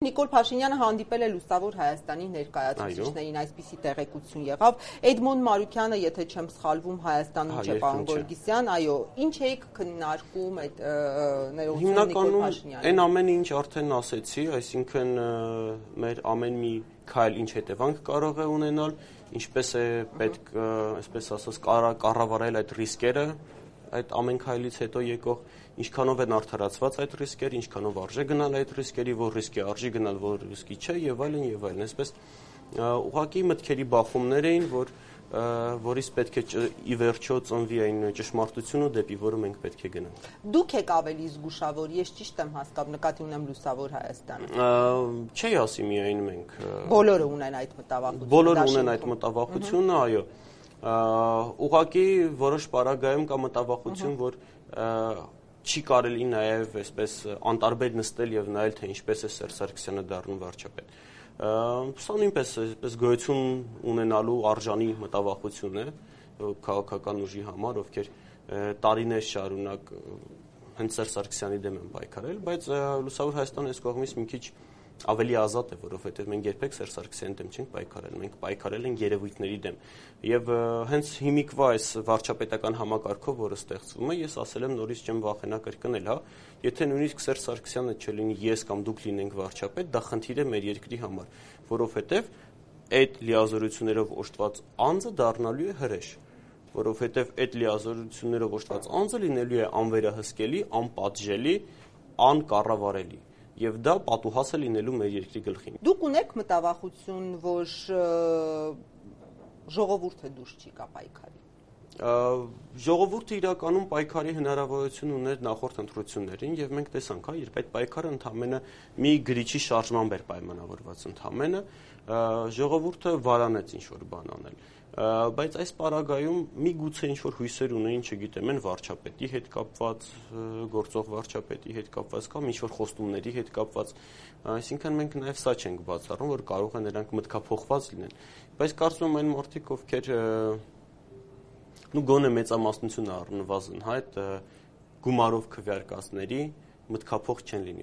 Նիկոլ Փաշինյանը հանդիպել է Լուսավոր Հայաստանի ներկայացուցիչներին, այսպիսի տեղեկություն եղավ։ Էդմոն Մարուքյանը, եթե չեմ սխալվում, Հայաստանում չէ, պարոն Գորգիսյան, այո, ինչ էիք քննարկում այդ ներողություն Նիկոլ Փաշինյանի։ Այն ամենը, ինչ արդեն ասեցի, այսինքն մեր ամեն մի քայլ ինչ հետևանք կարող է ունենալ, ինչպես է պետք, այսպես ասած, կառավարել այդ ռիսկերը, այդ ամեն քայլից հետո եկող, ինչքանով են արդարացված այդ ռիսկերը, ինչքանով արժե գնալ այդ ռիսկերի, որ ռիսկի արժի գնալ, որ ռիսկի չէ, եւ այլն եւ այլն։ Այսպես ուղղակի մտքերի բախումներ էին, որից պետք է ի վերջո ծնվի այն ճշմարտությունը, դեպի որը մենք պետք է գնանք։ Դուք եք ավելի զգուշավոր, ես ճիշտ եմ հասկանում, նկատի ունեմ Լուսավոր Հայաստանը։ Չի ասի միայն մենք։ Բոլորը ունեն այդ մտավախությունը։ Բոլորը ունեն այդ մտավախությունը, այո։ Ուղղակի որոշ պարագայում կա մտավախություն, որ չի կարելի նաև այսպես անտարբեր նստել եւ նայել, թե ինչպես է Սերժ Սարգսյանը դառնում վարչապետ։ Սա նույնպես այսպես գոյություն ունենալու արժանի մտավախություն է քաղաքական ուժի համար, ովքեր տարիներ շարունակ հենց Սերժ Սարգսյանի դեմ են պայքարել, բայց Լուսավոր Հայաստանը այս կողմից մի քիչ ավելի ազատ է, որովհետև մենք երբեք Սերժ Սարգսյանի դեմ չենք պայքարել, մենք պայքարել ենք երևույթների դեմ։ Եվ հենց հիմիկվա այս վարչապետական համակարգով, որը ստեղծվում է, ես ասել եմ նորից չեմ վախենա կրկնել, հա, եթե նույնիսկ Սերժ Սարգսյանը չլինի, ես կամ դուք լինենք վարչապետ, դա խնդիր է մեր երկրի համար, որովհետև այդ լիազորություններով օժտված անձը դառնալու է հրեշ, որովհետև այդ լիազորություններով օժտված անձը լինելու է անվերահսկելի, անպատժելի, անկառավարելի։ Եվ դա պատուհաս է լինելու մեր երկրի գլխին։ Դուք ունեք մտավախություն, որ ժողովուրդը դուրս չի գա պայքարի։ Ժողովուրդը իրականում պայքարի հնարավորություն ուներ նախորդ ընտրություններին եւ մենք տեսանք, հա, երբ այդ պայքարը ընդամենը մի գրիչի շարժմամբ էր պայմանավորված ընդամենը, ժողովուրդը վարանեց ինչ-որ բան անել։ Բայց այս պարագայում միգուցե ինչ-որ հույսեր ունեին, չգիտեմ, այն վարչապետի հետ կապված, գործող վարչապետի հետ կապված կամ ինչ-որ խոստումների հետ կապված, այսինքն մենք նաև սա չենք բացառում, որ կարող է նրանք մտքափոխված լինեն։ Բայց կարծում եմ այն մարդիկ, ովքեր գոնե մեծամասնությունը առնվազն, հա, այդ գումարով քվեարկածների մտքափոխ չեն լինի։